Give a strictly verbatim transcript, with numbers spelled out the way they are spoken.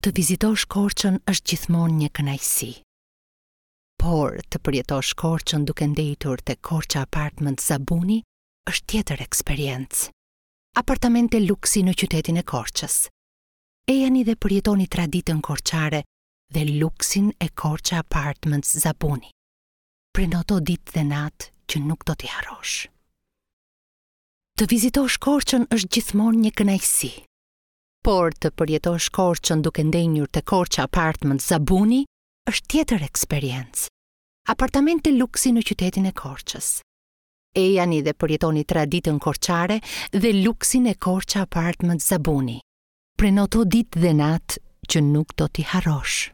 Të vizitosh Korçën është gjithmonë një kënaqësi. Por të përjetosh Korçën duke ndejtur te Korça Apartment Zabuni është tjetër eksperiencë. Apartamente luksi në qytetin e Korçës. Ejani dhe përjetoni traditën korçare dhe luksin e Korça Apartments Zabuni. Prenoto ditë dhe natë që nuk do t'i harrosh. Të vizitosh Korçën është gjithmonë një kënaqësi. Por të përjetosh Korçën duke ndenjur te Korça Apartment Zabuni është tjetër eksperiencë. Apartamente luksi në qytetin e Korçës. Ejani dhe përjetoni traditën korçare dhe luksin e Korça Apartment Zabuni. Prenoto ditë dhe natë që nuk do t'i harrosh.